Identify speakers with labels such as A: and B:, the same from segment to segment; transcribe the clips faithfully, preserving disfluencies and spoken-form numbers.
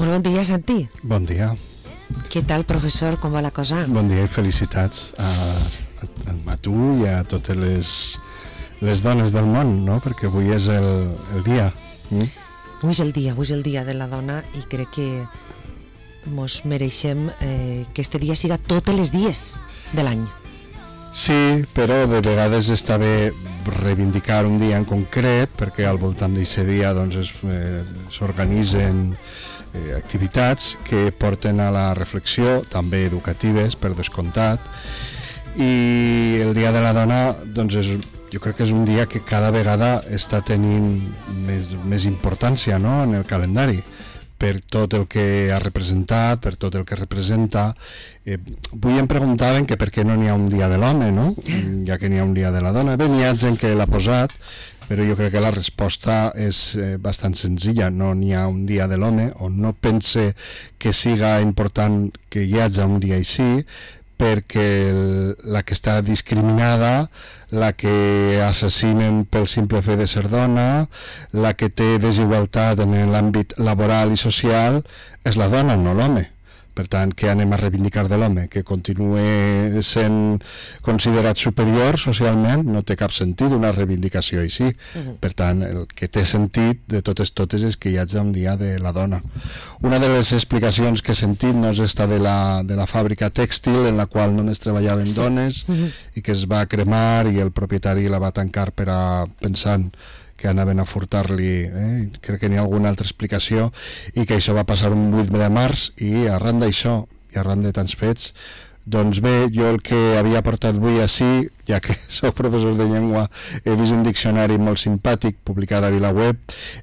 A: Molt bon dia, Santi.
B: Bon dia.
A: Què tal, professor? Com va la cosa?
B: Bon dia i felicitats a, a, a tu i a totes les, les dones del món, no? Perquè avui és el, el dia. Mm?
A: Avui és el dia, avui és el dia de la dona i crec que mos mereixem eh, que este dia siga tots els dies de l'any.
B: Sí, però de vegades està bé reivindicar un dia en concret perquè al voltant d'aquest dia doncs, es, eh, s'organitzen eh, activitats que porten a la reflexió, també educatives, per descomptat, i el Dia de la Dona doncs, és, jo crec que és un dia que cada vegada està tenint més, més importància, no?, en el calendari, per tot el que ha representat, per tot el que representa. Eh, avui em preguntaven que per què no n'hi ha un dia de l'home, no?, ja que n'hi ha un dia de la dona. Bé, n'hi ha gent que l'ha posat, però jo crec que la resposta és eh, bastant senzilla. No n'hi ha un dia de l'home, o no pense que siga important que hi hagi un dia així, perquè el, la que està discriminada, la que assassinen pel simple fet de ser dona, la que té desigualtat en l'àmbit laboral i social, és la dona, no l'home. Per tant, què anem a reivindicar de l'home? Que continuï sent considerat superior socialment? No té cap sentit una reivindicació així. Uh-huh. Per tant, el que té sentit de totes totes és que hi hagi un dia de la dona. Una de les explicacions que he sentit no és esta de la, de la fàbrica tèxtil en la qual només treballaven sí. dones uh-huh. i que es va cremar i el propietari la va tancar per a, pensant que anaven a furtar-li, eh? Crec que n'hi ha alguna altra explicació, i que això va passar un vuit de març, i arran d'això, i arran de tants fets, doncs bé, jo el que havia portat avui així, ja que soc professor de llengua, he vist un diccionari molt simpàtic publicat a VilaWeb,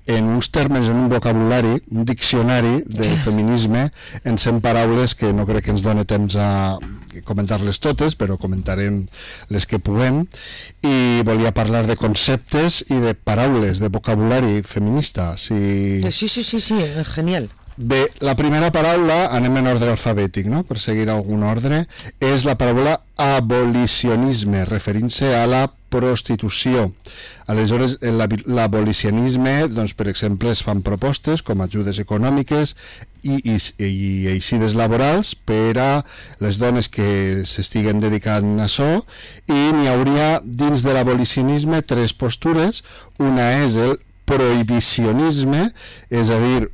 B: en uns termes, en un vocabulari, un diccionari del feminisme, en cent paraules que no crec que ens doni temps a comentar-les totes, però comentarem les que puguem, i volia parlar de conceptes i de paraules, de vocabulari feminista. Si...
A: Sí, sí, sí, sí, genial.
B: Bé, la primera paraula, anem en ordre alfabètic, no?, per seguir algun ordre, és la paraula abolicionisme, referint-se a la prostitució. Aleshores, l'abolicionisme, doncs, per exemple, es fan propostes com ajudes econòmiques i, i, i eixides laborals per a les dones que s'estiguen dedicant a això, i n'hi hauria dins de l'abolicionisme tres postures. Una és el prohibicionisme, és a dir,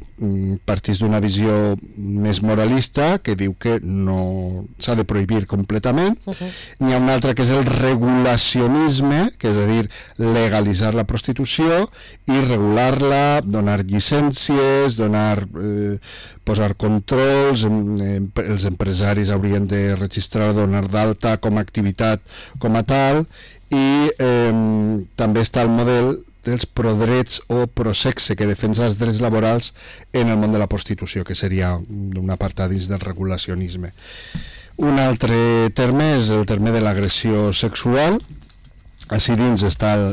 B: partís d'una visió més moralista que diu que no s'ha de prohibir completament. Uh-huh. N'hi ha una altra que és el regulacionisme, que és a dir, legalitzar la prostitució i regular-la, donar llicències, donar, eh, posar controls, eh, els empresaris haurien de registrar, donar d'alta com a activitat com a tal, i eh, també està el model dels prodrets o prosexe, que defensa els drets laborals en el món de la prostitució, que seria un apartat dins del regulacionisme. Un altre terme és el terme de l'agressió sexual. Així dins està el,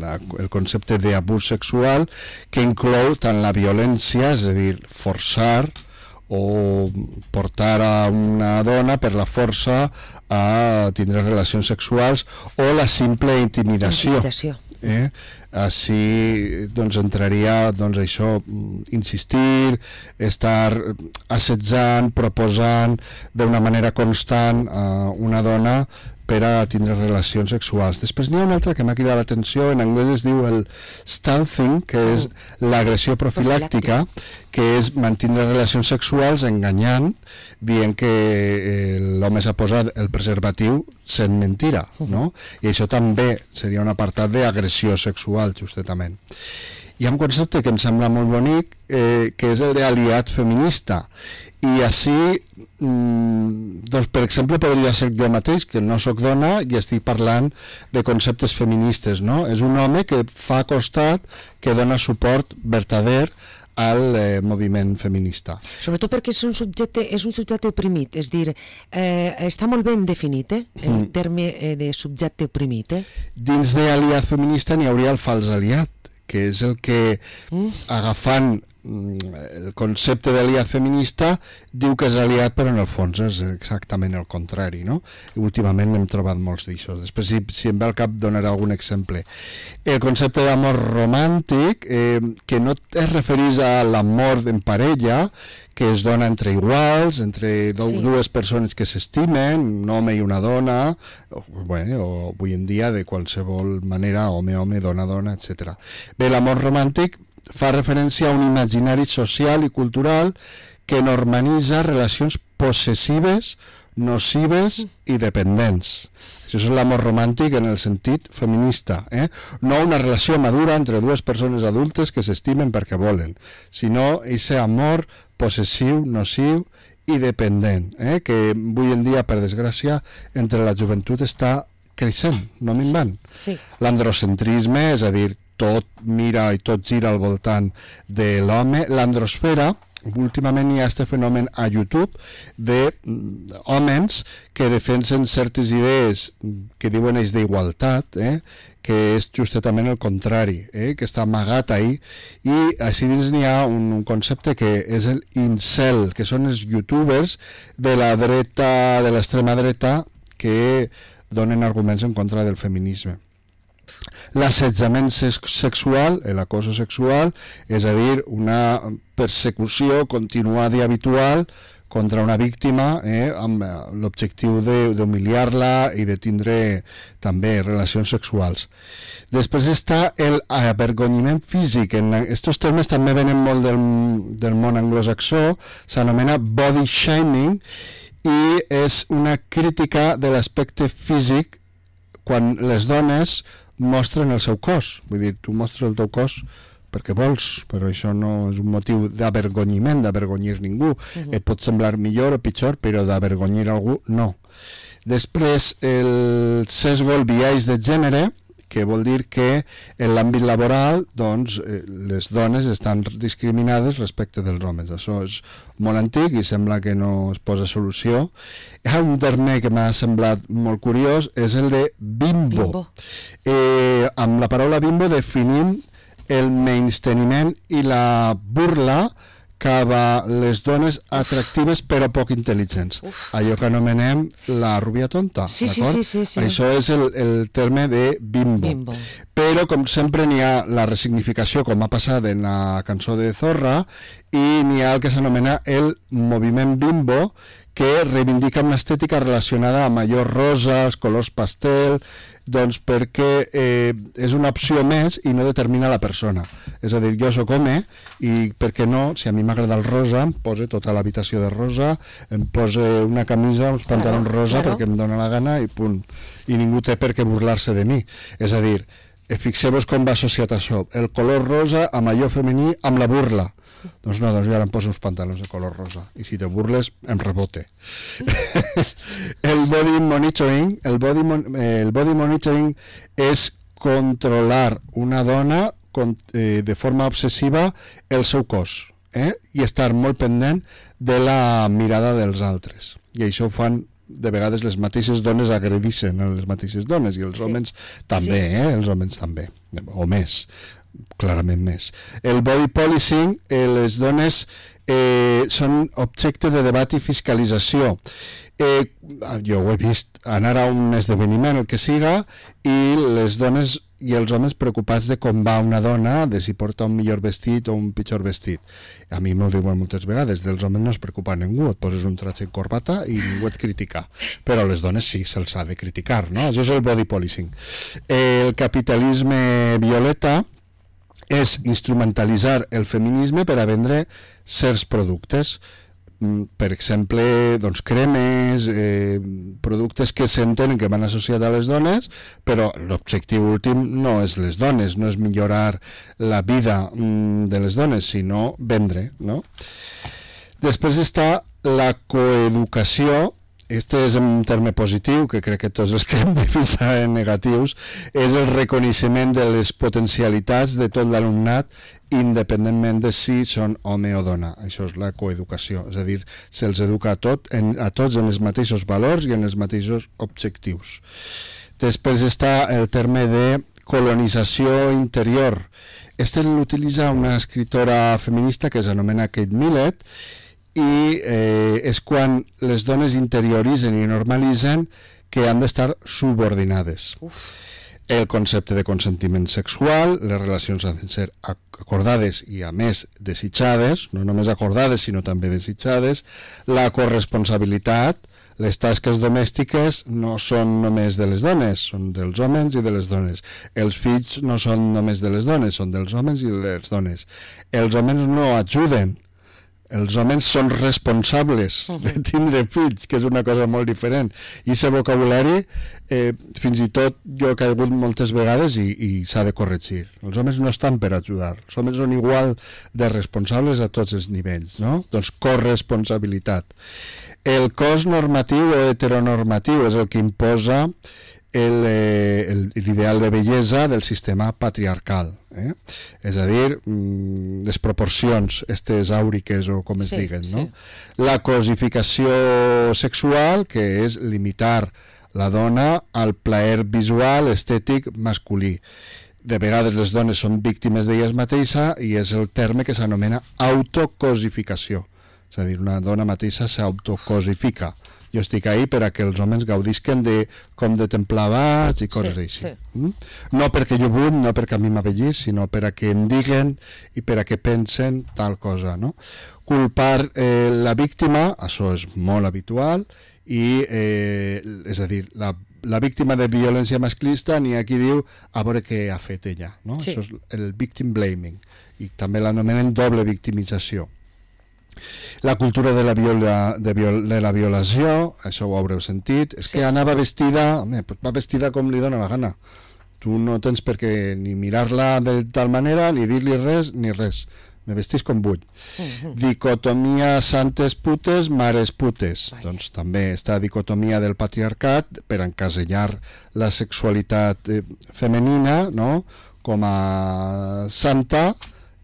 B: la, el concepte d'abús sexual, que inclou tant la violència, és a dir, forçar o portar a una dona per la força a tindre relacions sexuals, o la simple intimidació.
A: Intimidació.
B: Eh? Així doncs entraria doncs això, insistir, estar assetjant, proposant d'una manera constant a una dona per a tindre relacions sexuals. Després n'hi ha una altra que m'ha cridat l'atenció, en anglès es diu el stalking, que és l'agressió profilàctica, que és mantindre relacions sexuals enganyant, dient que eh, l'home s'ha posat el preservatiu sent mentira, no? I això també seria un apartat d'agressió sexual, justament. Hi ha un concepte que em sembla molt bonic, eh, que és el d'aliat feminista, i així, mm, doncs, per exemple, podria ser jo mateix, que no sóc dona i estic parlant de conceptes feministes, no? És un home que fa costat, que dona suport verdader al eh, moviment feminista. Sobretot
A: perquè és un subjecte, és un subjecte oprimit, és dir, eh, està molt ben definit, eh, el mm. terme eh, de subjecte oprimit. Eh?
B: Dins d'aliat feminista n'hi hauria el fals aliat, que és el que, mm. agafant el concepte d'aliat feminista diu que és aliat, però en el fons és exactament el contrari, no? I últimament n'hem trobat molts d'això. Després, si, si em ve al cap, donaré algun exemple. El concepte d'amor romàntic, eh, que no es refereix a l'amor en parella, que es dona entre iguals, entre do, sí. dues persones que s'estimen, un home i una dona, o, bueno, o avui en dia de qualsevol manera, home-home, dona-dona, etcètera. Bé, l'amor romàntic fa referència a un imaginari social i cultural que normalitza relacions possessives, nocives i dependents. Això és l'amor romàntic en el sentit feminista, eh? No una relació madura entre dues persones adultes que s'estimen perquè volen, sinó aquest amor possessiu, nociu i dependent, eh? Que avui en dia, per desgràcia, entre la joventut està creixent, no minvant.
A: Sí.
B: L'androcentrisme, és a dir, tot mira i tot gira al voltant de l'home. L'androsfera, últimament hi ha aquest fenomen a YouTube d'homes que defensen certes idees que diuen ells d'igualtat, eh? Que és justament el contrari, eh? Que està amagat ahí, i així dins n'hi ha un, un concepte que és el incel, que són els youtubers de la dreta, de l'extrema dreta, que donen arguments en contra del feminisme. L'assetjament sexual, l'acoso sexual, és a dir, una persecució continuada i habitual contra una víctima, eh, amb l'objectiu d'humiliar-la i de tindre també relacions sexuals. Després està el avergonyiment físic. En aquests termes també venen molt del, del món anglosaxó, s'anomena body shaming, i és una crítica de l'aspecte físic quan les dones mostren el seu cos. Vull dir, tu mostres el teu cos perquè vols, però això no és un motiu d'avergonyiment, d'avergonyir ningú. Uh-huh. Et pot semblar millor o pitjor, però d'avergonyir algú, no. Després, el sesgo, el biaix de gènere, que vol dir que en l'àmbit laboral, doncs, les dones estan discriminades respecte dels homes. Això és molt antic i sembla que no es posa solució. Hi ha un terme que m'ha semblat molt curiós, és el de bimbo. bimbo. Eh, amb la paraula bimbo definim el menysteniment i la burla cap a les dones atractives però poc intel·ligents. Uf. Allò que anomenem la rubia tonta.
A: Sí, sí, sí, sí, sí.
B: Això és el, el terme de bimbo. bimbo. Però, com sempre, n'hi ha la resignificació, com ha passat en la cançó de Zorra, i n'hi ha el que s'anomena el moviment bimbo, que reivindica una estètica relacionada amb allò rosa, els colors pastel, doncs perquè eh, és una opció més i no determina la persona. És a dir, jo soc home i per què no, si a mi m'agrada el rosa, em poso tota l'habitació de rosa, em poso una camisa, uns pantalons claro, rosa claro. perquè em dóna la gana i punt. I ningú té per què burlar-se de mi. És a dir, fixeu-vos com va associat això, el color rosa amb allò femení, amb la burla. Doncs no, doncs jo ara em poso uns pantalons de color rosa i si te burles em rebote. El body monitoring, el body, mon, eh, el body monitoring és controlar una dona con, eh, de forma obsessiva el seu cos, eh? I estar molt pendent de la mirada dels altres. I això ho fan de vegades les mateixes dones agredixen a les mateixes dones i els sí. homes també, sí. eh? Els homes també, o més, clarament més. El body policing, eh, les dones eh, són objecte de debat i fiscalització. Eh, jo ho he vist, anar a un esdeveniment, el que siga, i les dones i els homes preocupats de com va una dona, de si porta un millor vestit o un pitjor vestit. A mi m'ho diuen moltes vegades, dels homes no es preocupa ningú, et poses un tratge en corbata i ningú et critica, però a les dones sí, se'ls ha de criticar, no? Això és el body policing. El capitalisme violeta és instrumentalitzar el feminisme per a vendre certs productes, per exemple, doncs, cremes, eh, productes que s'entenen que van associats a les dones, però l'objectiu últim no és les dones, no és millorar la vida mm, de les dones, sinó vendre, no? Després està la coeducació. Este és un terme positiu, que crec que tots els que hem de pensar en negatius, és el reconeixement de les potencialitats de tot l'alumnat, independentment de si són home o dona. Això és la coeducació, és a dir, se'ls educa a, tot, en, a tots en els mateixos valors i en els mateixos objectius. Després està el terme de colonització interior. Este l'utilitza una escritora feminista que s'anomena Kate Millett, i eh, és quan les dones interioritzen i normalitzen que han d'estar subordinades. Uf. El concepte de consentiment sexual, les relacions han de ser acordades i a més desitjades, no només acordades sinó també desitjades, la corresponsabilitat, les tasques domèstiques no són només de les dones, són dels homes i de les dones. Els fills no són només de les dones, són dels homes i de les dones. Els homes no ajuden, els homes són responsables de tindre fills, que és una cosa molt diferent. I aquest vocabulari, eh, fins i tot jo he caigut moltes vegades i, i s'ha de corregir. Els homes no estan per ajudar, els homes són igual de responsables a tots els nivells, no? Doncs corresponsabilitat. El cos normatiu o heteronormatiu és el que imposa l'ideal de bellesa del sistema patriarcal, eh? És a dir, mmm, les proporcions estes àuriques o com es sí, diguen, no? Sí. La cosificació sexual, que és limitar la dona al plaer visual estètic masculí. De vegades les dones són víctimes d'elles mateixes i és el terme que s'anomena autocosificació, és a dir, una dona mateixa s'autocosifica. Jo estic ahí per a que els homes gaudisquen de com de templar vaig i coses sí, així. Sí. Mm? No perquè jo vull, no perquè a mi m'avellís, sinó per a que em diguen i per a que pensen tal cosa, no? Culpar eh, la víctima, això és molt habitual, i eh, és a dir, la, la víctima de violència masclista n'hi ha qui diu a veure què ha fet ella, no? Sí. Això és el victim blaming, i també l'anomenen doble victimització. La cultura de la, viola, de, viol, de la violació, això ho haureu sentit, és sí. que anava vestida, home, va vestida com li dona la gana. Tu no tens per què ni mirar-la de tal manera, ni dir-li res, ni res. Me vestís com vull. Uh-huh. Dicotomia santes putes, mares putes. Vaya. Doncs també està dicotomia del patriarcat per encasellar la sexualitat eh, femenina, no?, com a santa,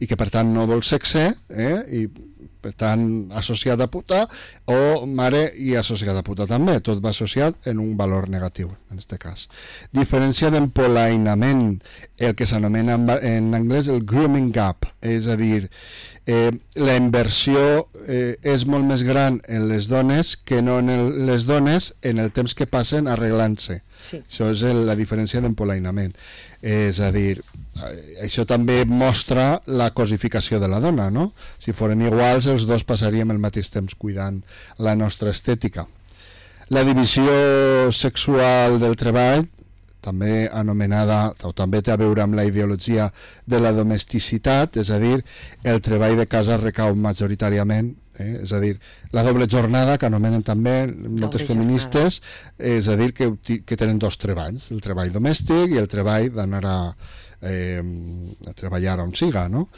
B: i que per tant no vol sexe, eh?, i per tant associat a puta, o mare i associat a puta també, tot va associat en un valor negatiu en aquest cas. Diferència d'empolainament, el que s'anomena en anglès el grooming gap, és a dir, eh, la inversió eh, és molt més gran en les dones que no en el, les dones en el temps que passen arreglant-se. Sí. Això és el, la diferència d'empolainament. És a dir, això també mostra la cosificació de la dona, no? Si foren iguals, els dos passaríem el mateix temps cuidant la nostra estètica. La divisió sexual del treball, també anomenada, o també té a veure amb la ideologia de la domesticitat, és a dir, el treball de casa recau majoritàriament, eh? És a dir, la doble jornada, que anomenen també moltes feministes, és a dir, que, que tenen dos treballs, el treball domèstic i el treball d'anar a, eh, a treballar on siga, no?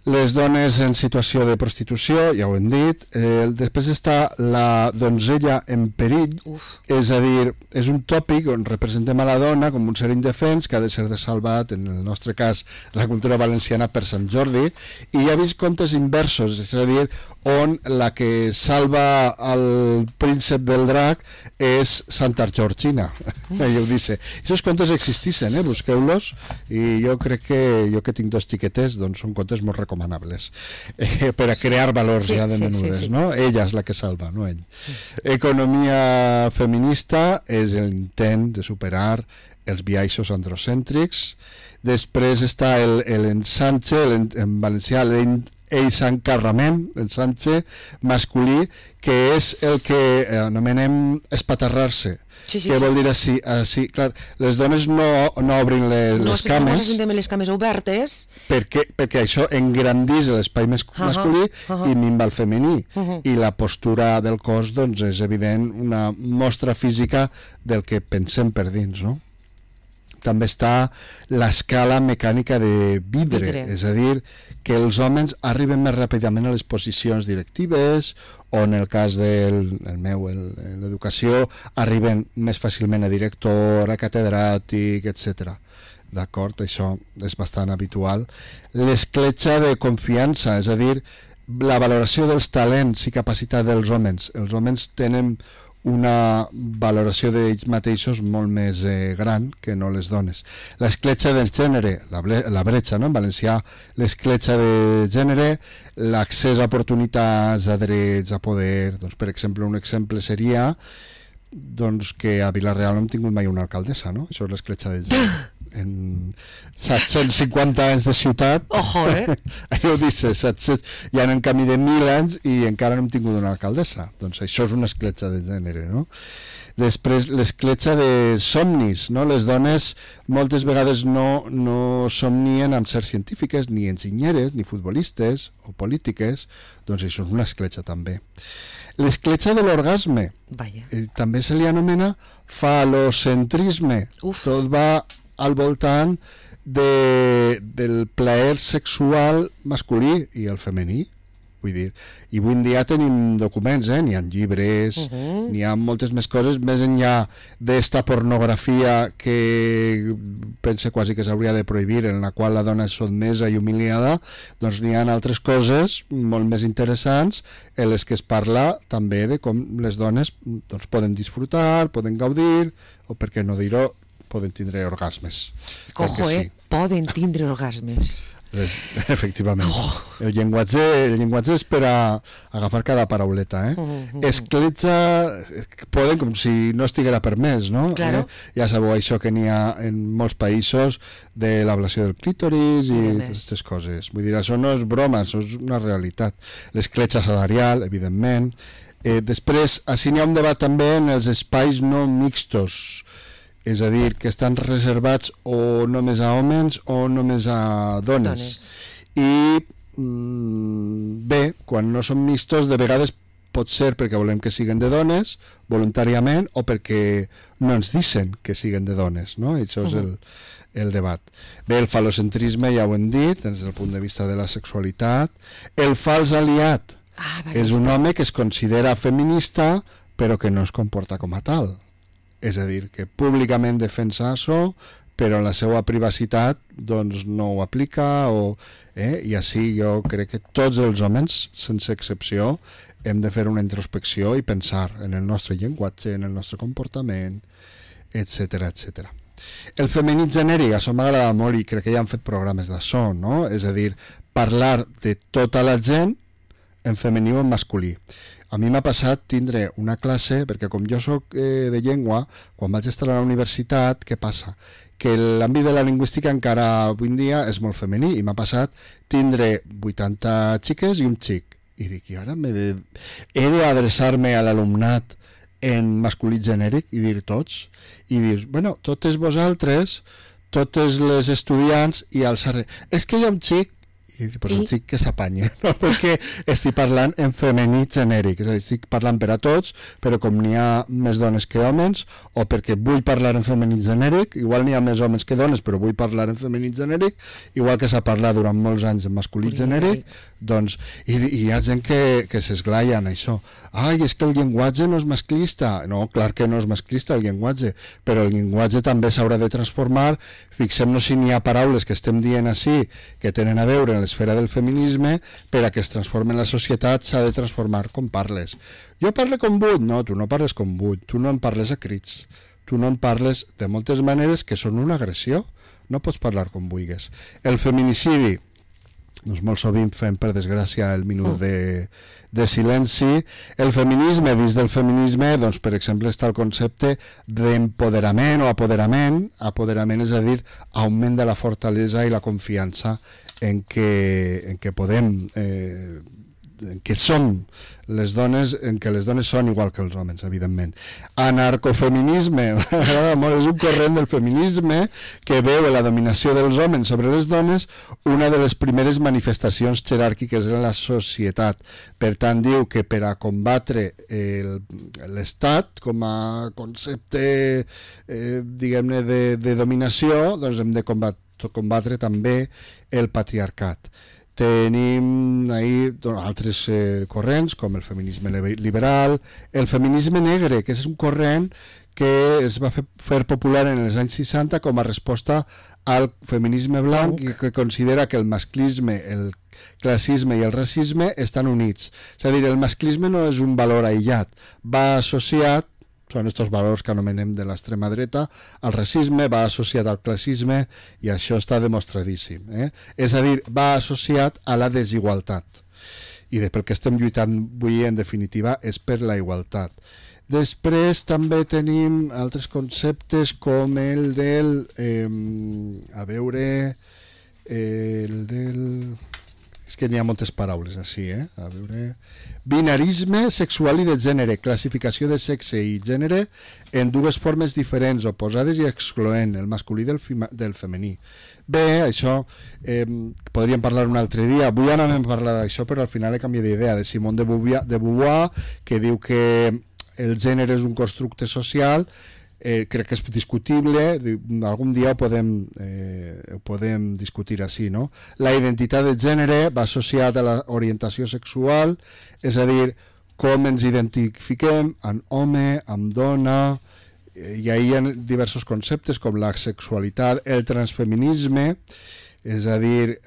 B: Les dones en situació de prostitució, ja ho hem dit, eh, després està la donzella en perill. Uf. És a dir, és un tòpic on representem a la dona com un ser indefens que ha de ser salvat, en el nostre cas la cultura valenciana, per Sant Jordi, i hi ha vist contes inversos, és a dir, on la que salva el príncep del drac és Santa Georgina. Ella ho dice. Aquests contes existissin, eh? Busqueu-los, i jo crec que jo que tinc dos xiquetes, doncs són contes molt recomanables eh, per a crear valors sí, ja de menudes, sí, sí, sí. No? Ella és la que salva, no ell. Economia feminista és l'intent de superar els biaixos androcèntrics. Després està el, el ensanche, el, en valencià l'ensancarrament, l'ensanche masculí, que és el que anomenem espatarrar-se. Sí, sí, què sí. Vol dir així? així? Clar, les dones no, no obrin les, no, les si cames. No,
A: si no les cames obertes.
B: Perquè, perquè això engrandís l'espai mes, uh-huh, masculí uh-huh. i minva el femení. Uh-huh. I la postura del cos, doncs, és evident una mostra física del que pensem per dins, no? També està l'escala mecànica de vidre, vidre, és a dir, que els homes arriben més ràpidament a les posicions directives, o en el cas del el meu, l'educació, arriben més fàcilment a director, a catedràtic, etcètera. D'acord? Això és bastant habitual. L'escletxa de confiança, és a dir, la valoració dels talents i capacitat dels homes. Els homes tenen una valoració d'ells mateixos molt més eh, gran que no les dones. L'escletxa del gènere, la, la bretxa, no? En valencià, l'escletxa de gènere, l'accés a oportunitats, a drets, a poder, doncs, per exemple, un exemple seria doncs, que a Vila-real no hem tingut mai una alcaldessa, no? Això és l'escletxa del gènere. En set-cents cinquanta anys de ciutat,
A: ojo, eh?
B: Allò dice, set-cents, ja anem camí de mil anys i encara no hem tingut una alcaldessa. Doncs això és una escletxa de gènere, no? Després, l'escletxa de somnis, no? Les dones moltes vegades no, no somnien amb ser científiques, ni enginyeres, ni futbolistes o polítiques, doncs això és una escletxa també. L'escletxa de l'orgasme, eh, també se li anomena falocentrisme. Uf. Tot va al voltant de, del plaer sexual masculí i el femení, vull dir, i avui en dia tenim documents, eh? N'hi ha llibres, uh -huh. n'hi ha moltes més coses, més enllà d'esta pornografia que pense quasi que s'hauria de prohibir, en la qual la dona és sotmesa i humiliada, doncs n'hi ha altres coses molt més interessants en les que es parla també de com les dones doncs, poden disfrutar, poden gaudir, o per què no dir-ho, poden tindre orgasmes.
A: Cojo, eh? Sí. Poden tindre orgasmes.
B: Les, efectivament. Oh. El llenguatge, el llenguatge és per a agafar cada parauleta, eh? Uh -huh. Escletxa, poden com si no estiguera permès, no?
A: Claro.
B: Eh? Ja sabeu això que n'hi ha en molts països de l'ablació del clítoris i aquestes coses. Vull dir, això no és broma, això és una realitat. L'escletxa salarial, evidentment. Eh, després, així n'hi ha un debat també en els espais no mixtos, és a dir, que estan reservats o només a homes o només a dones. dones. I mm, bé, quan no són mixtos, de vegades pot ser perquè volem que siguin de dones, voluntàriament, o perquè no ens dicen que siguin de dones, no? I això uh -huh. és el, el debat. Bé, el falocentrisme ja ho hem dit, des del punt de vista de la sexualitat. El fals aliat ah, és un home que es considera feminista però que no es comporta com a tal. És a dir, que públicament defensa això, però en la seva privacitat doncs no ho aplica, o, eh? I així jo crec que tots els homes, sense excepció, hem de fer una introspecció i pensar en el nostre llenguatge, en el nostre comportament, etcètera, etcètera. El femení genèric, això m'agrada molt i crec que ja han fet programes d'això, no? És a dir, parlar de tota la gent en femení o en masculí. A mi m'ha passat tindre una classe, perquè com jo soc eh, de llengua, quan vaig estar a la universitat, què passa? Que l'àmbit de la lingüística encara avui en dia és molt femení, i m'ha passat tindre vuitanta xiques i un xic. I dic, i ara de... he d'adreçar-me a l'alumnat en masculí genèric i dir tots, i dir, bueno, totes vosaltres, totes les estudiants, i alçar... És que hi ha un xic, i pues el xic que s'apanya, no? Perquè estic parlant en femení genèric, és a dir, estic parlant per a tots, però com n'hi ha més dones que homes, o perquè vull parlar en femení genèric, igual n'hi ha més homes que dones, però vull parlar en femení genèric, igual que s'ha parlat durant molts anys en masculí genèric, doncs, i, i hi ha gent que, que s'esglaia en això. Ai, és que el llenguatge no és masclista. No, clar que no és masclista el llenguatge, però el llenguatge també s'haurà de transformar. Fixem-nos si n'hi ha paraules que estem dient així, que tenen a veure en l'esfera del feminisme, per a que es transformi la societat s'ha de transformar com parles. Jo parlo com vull? No, tu no parles com vull, tu no em parles a crits, tu no em parles de moltes maneres que són una agressió, no pots parlar com vulguis. El feminicidi, doncs molt sovint fem, per desgràcia, el minut de, de silenci. El feminisme, dins del feminisme, doncs, per exemple, està el concepte d'empoderament o apoderament. Apoderament és a dir, augment de la fortalesa i la confiança en què, en què podem, eh, en què som les dones, en què les dones són igual que els homes, evidentment. Anarcofeminisme, és un corrent del feminisme que veu la dominació dels homes sobre les dones una de les primeres manifestacions jeràrquiques en la societat. Per tant, diu que per a combatre l'Estat com a concepte, eh, diguem-ne, de, de dominació, doncs hem de combatre, combatre també el patriarcat. Tenim ahí altres eh, corrents, com el feminisme liberal, el feminisme negre, que és un corrent que es va fer, fer popular en els anys seixanta com a resposta al feminisme blanc i que considera que el masclisme, el classisme i el racisme estan units. És a dir, el masclisme no és un valor aïllat, va associat són aquests valors que anomenem de l'extrema dreta. El racisme va associat al classisme i això està demostradíssim. Eh? És a dir, va associat a la desigualtat. I de pel que estem lluitant avui, en definitiva, és per la igualtat. Després també tenim altres conceptes com el del... Eh, a veure... Eh, el del... És que n'hi ha moltes paraules així, eh? A veure... Binarisme sexual i de gènere, classificació de sexe i gènere en dues formes diferents, oposades i excloent, el masculí del, del femení. Bé, això eh, podríem parlar un altre dia. Avui ara hem parlat d'això, però al final he canviat d'idea, de Simone de Beauvoir, de Beauvoir, que diu que el gènere és un constructe social. Eh, crec que és discutible, algun dia ho podem, eh, ho podem discutir així, no? La identitat de gènere va associada a l'orientació sexual, és a dir, com ens identifiquem amb home, amb dona, i ahí hi ha diversos conceptes com la sexualitat, el transfeminisme, és a dir,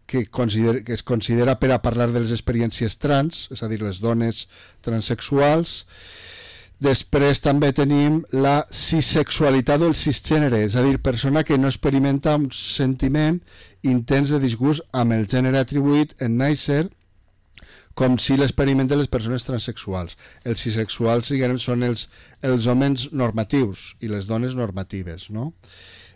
B: que, considera, que es considera per a parlar de les experiències trans, és a dir, les dones transexuals. Després també tenim la cisexualitat o el cisgènere, és a dir, persona que no experimenta un sentiment intens de disgust amb el gènere atribuït en néixer, com si l'experimenten les persones transexuals. Els cisexuals són els, els homes normatius i les dones normatives, no?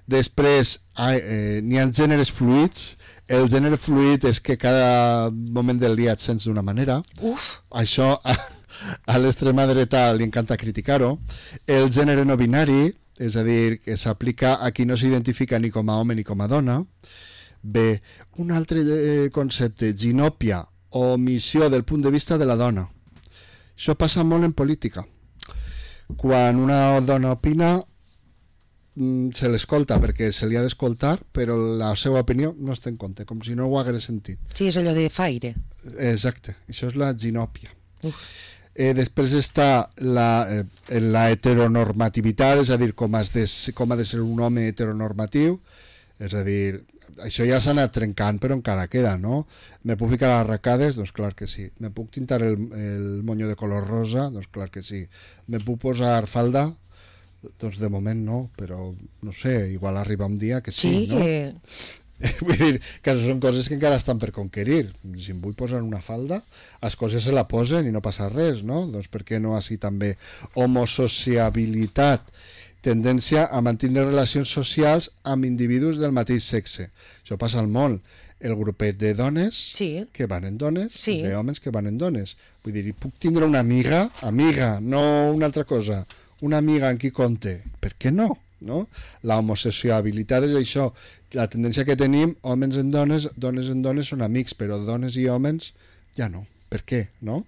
B: Després eh, n'hi ha gèneres fluids. El gènere fluid és que cada moment del dia et sents d'una manera.
A: Uf!
B: Això... a l'extrema dreta li encanta criticar-ho. El gènere no binari, és a dir, que s'aplica a qui no s'identifica ni com a home ni com a dona. Bé, un altre concepte, ginòpia o omissió del punt de vista de la dona. Això passa molt en política. Quan una dona opina, se l'escolta perquè se li ha d'escoltar, però la seva opinió no es té en compte, com si no ho hagués sentit.
A: Sí, és allò de faire.
B: Exacte, això és la ginòpia.
A: Uf.
B: Eh, després està la, eh, la heteronormativitat, és a dir, com, has de, com ha de ser un home heteronormatiu, és a dir, això ja s'ha anat trencant, però encara queda, no? Me puc ficar les arracades? Doncs clar que sí. Me puc tintar el, el monyo de color rosa? Doncs clar que sí. Me puc posar falda? Doncs de moment no, però no sé, igual arriba un dia que sí,
A: sí
B: no?
A: Que...
B: Vull dir que són coses que encara estan per conquerir. Si em vull posar una falda, les coses se la posen i no passa res, no? Doncs per què no així també? Homosociabilitat, tendència a mantenir relacions socials amb individus del mateix sexe. Això passa al món. El grupet de dones
A: sí.
B: que van en dones,
A: sí.
B: d'homes que van en dones. Vull dir, puc tindre una amiga, amiga, no una altra cosa, una amiga en qui compte. Per què no? No? La homosociabilitat és això, la tendència que tenim, homes en dones, dones en dones són amics, però dones i homes ja no. Per què? No?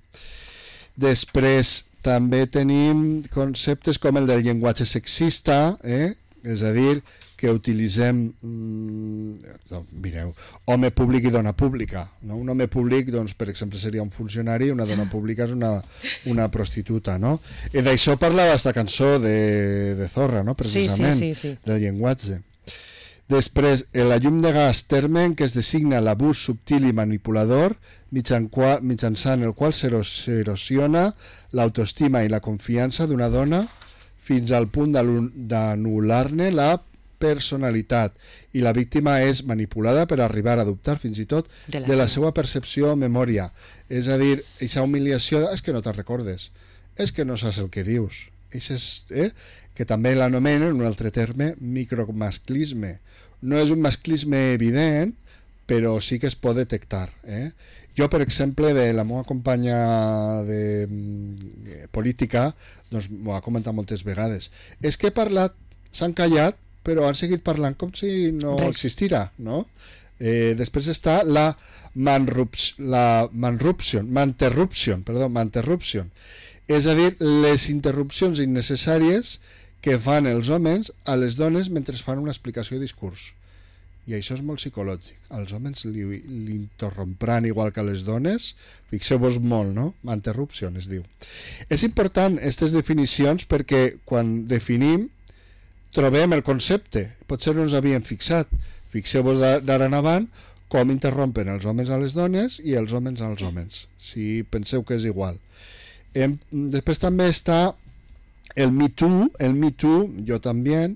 B: Després també tenim conceptes com el del llenguatge sexista, eh? És a dir, que utilitzem, mm, mireu, home públic i dona pública. No? Un home públic, doncs, per exemple, seria un funcionari, una dona pública és una, una prostituta. No? I d'això parlava aquesta cançó de, de Zorra, no? Precisament,
A: sí, sí, sí, sí.
B: del llenguatge. Després, la llum de gas, terme que es designa l'abús subtil i manipulador mitjan qual, mitjançant el qual s'erosiona l'autoestima i la confiança d'una dona fins al punt d'anul·lar-ne la personalitat, i la víctima és manipulada per arribar a dubtar fins i tot de la, de la seva percepció o memòria. És a dir, aquesta humiliació és que no te'n recordes, és que no saps el que dius. És, eh? Que també l'anomenen, un altre terme, micromasclisme. No és un masclisme evident, però sí que es pot detectar. Eh? Jo, per exemple, de la meva companya de eh, política, doncs m'ho ha comentat moltes vegades. És que he parlat, s'han callat, però han seguit parlant com si no Res. existira, no? Eh, després està la manruption, la manruption, manterruption, perdó, manterruption. És a dir, les interrupcions innecessàries que fan els homes a les dones mentre fan una explicació de discurs. I això és molt psicològic. Els homes li, li interrompran igual que les dones. Fixeu-vos molt, no? Manterruption es diu. És important aquestes definicions perquè quan definim trobem el concepte, potser no ens havíem fixat. Fixeu-vos d'ara en avant com interrompen els homes a les dones i els homes als homes, si penseu que és igual. Em, després també està el Me Too, el Me Too, jo també,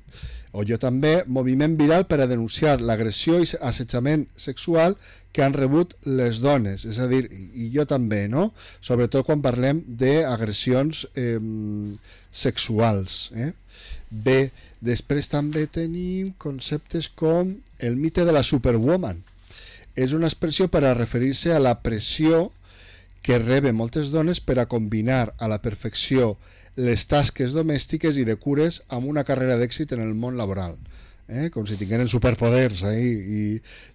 B: o jo també, moviment viral per a denunciar l'agressió i assetjament sexual que han rebut les dones, és a dir, i jo també, no? Sobretot quan parlem d'agressions eh, sexuals. Eh? Bé, després també tenim conceptes com el mite de la superwoman. És una expressió per a referir-se a la pressió que reben moltes dones per a combinar a la perfecció les tasques domèstiques i de cures amb una carrera d'èxit en el món laboral. Eh? Com si tingueren superpoders eh? I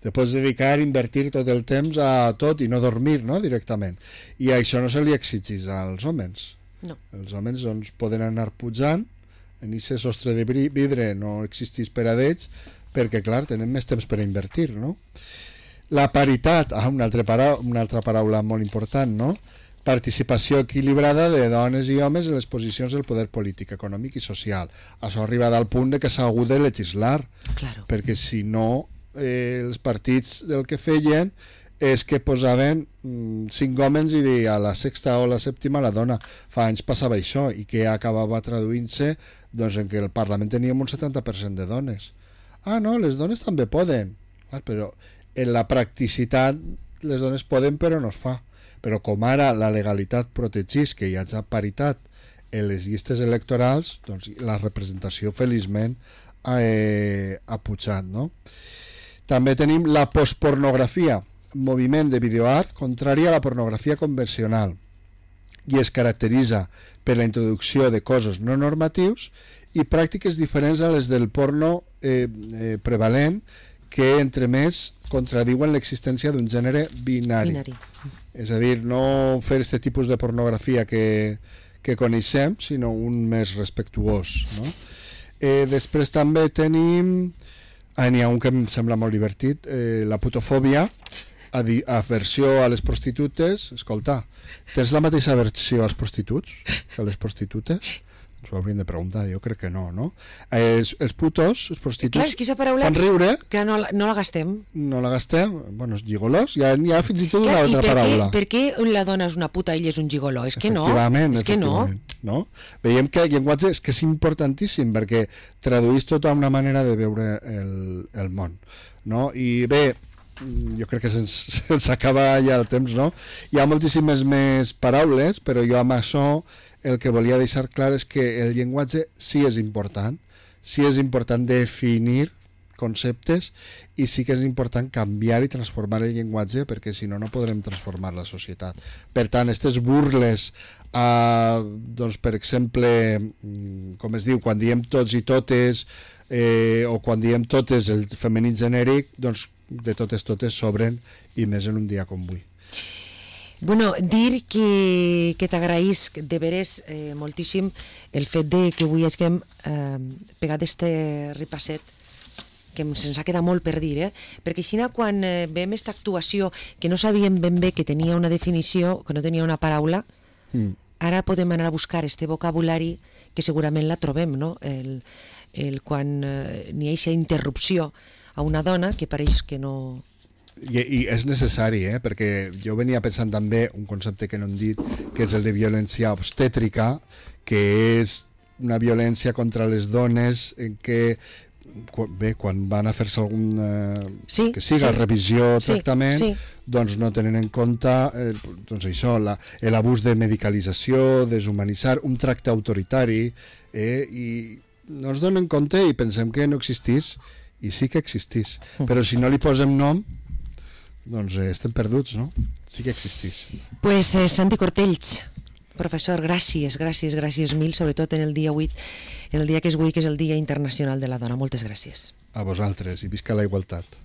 B: te pots dedicar a invertir tot el temps a tot i no dormir, no? Directament. I això no se li exigeix als homes.
A: No.
B: Els homes doncs, poden anar pujant, en aquest sostre de vidre no existeix per a d'ells, perquè clar, tenen més temps per a invertir, no? La paritat, ah, una, altra paraula, una altra paraula molt important, no? Participació equilibrada de dones i homes en les posicions del poder polític, econòmic i social. Això ha arribat al punt de que s'ha hagut de legislar,
A: claro.
B: Perquè si no, eh, els partits del que feien és que posaven mm, cinc homes i a la sexta o la sèptima la dona. Fa anys passava això i que acabava traduint-se doncs, en que el Parlament teníem un setanta per cent de dones. Ah, no, les dones també poden. Clar, però en la practicitat les dones poden però no es fa. Però com ara la legalitat protegís que hi hagi paritat en les llistes electorals, doncs la representació feliçment ha, eh, ha pujat, no? També tenim la postpornografia, moviment de videoart contrari a la pornografia convencional, i es caracteritza per la introducció de cossos no normatius i pràctiques diferents a les del porno eh, eh, prevalent, que entre més contradiuen l'existència d'un gènere binari. binari. És a dir, no fer aquest tipus de pornografia que, que coneixem, sinó un més respectuós, no? Eh, després també tenim, ah, n'hi ha un que em sembla molt divertit, eh, la putofòbia, aversió a les prostitutes. Escolta, tens la mateixa aversió als prostituts que a les prostitutes? Ens ho hauríem de preguntar, jo crec que no, no? Els, els putos, els prostituts,
A: clar, és que paraula
B: fan riure,
A: que no, no la gastem.
B: No la gastem, bueno, els gigolos, hi ha, hi ha fins i tot una clar, altra
A: per
B: paraula.
A: Què, per què la dona és una puta i ell és un gigoló? És que no, és que no.
B: no. Veiem que el llenguatge és que és importantíssim perquè traduís tota una manera de veure el, el món, no? I bé, jo crec que se'ns, se'ns acaba ja el temps, no? Hi ha moltíssimes més paraules, però jo amb això el que volia deixar clar és que el llenguatge sí és important, sí és important definir conceptes i sí que és important canviar i transformar el llenguatge perquè si no, no podrem transformar la societat. Per tant, aquestes burles, eh, doncs, per exemple, com es diu, quan diem tots i totes eh, o quan diem totes el femení genèric, doncs de totes totes sobren i més en un dia com avui.
A: Bueno, dir que, que t'agraïs de veres eh, moltíssim el fet de que avui hàgim eh, pegat este repasset que se'ns ha quedat molt per dir, eh? Perquè així quan eh, veiem aquesta actuació que no sabíem ben bé que tenia una definició, que no tenia una paraula, mm. ara podem anar a buscar este vocabulari que segurament la trobem, no? El, el quan eh, n'hi ha aquesta interrupció a una dona que pareix que no...
B: I, i és necessari, eh? Perquè jo venia pensant també un concepte que no hem dit, que és el de violència obstètrica, que és una violència contra les dones en què bé, quan van a fer-se algun eh, sí, que siga sí. revisió o tractament, sí, sí. doncs no tenen en compte eh, doncs això, l'abús de medicalització, deshumanitzar, un tracte autoritari, eh, i no ens donen compte i pensem que no existís, i sí que existís, mm. però si no li posem nom doncs eh, estem perduts, no? Sí que existís.
A: Pues eh, Santi Cortells, professor, gràcies, gràcies, gràcies mil, sobretot en el dia vuit, en el dia que és avui, que és el Dia Internacional de la Dona. Moltes gràcies.
B: A vosaltres, i visca la igualtat.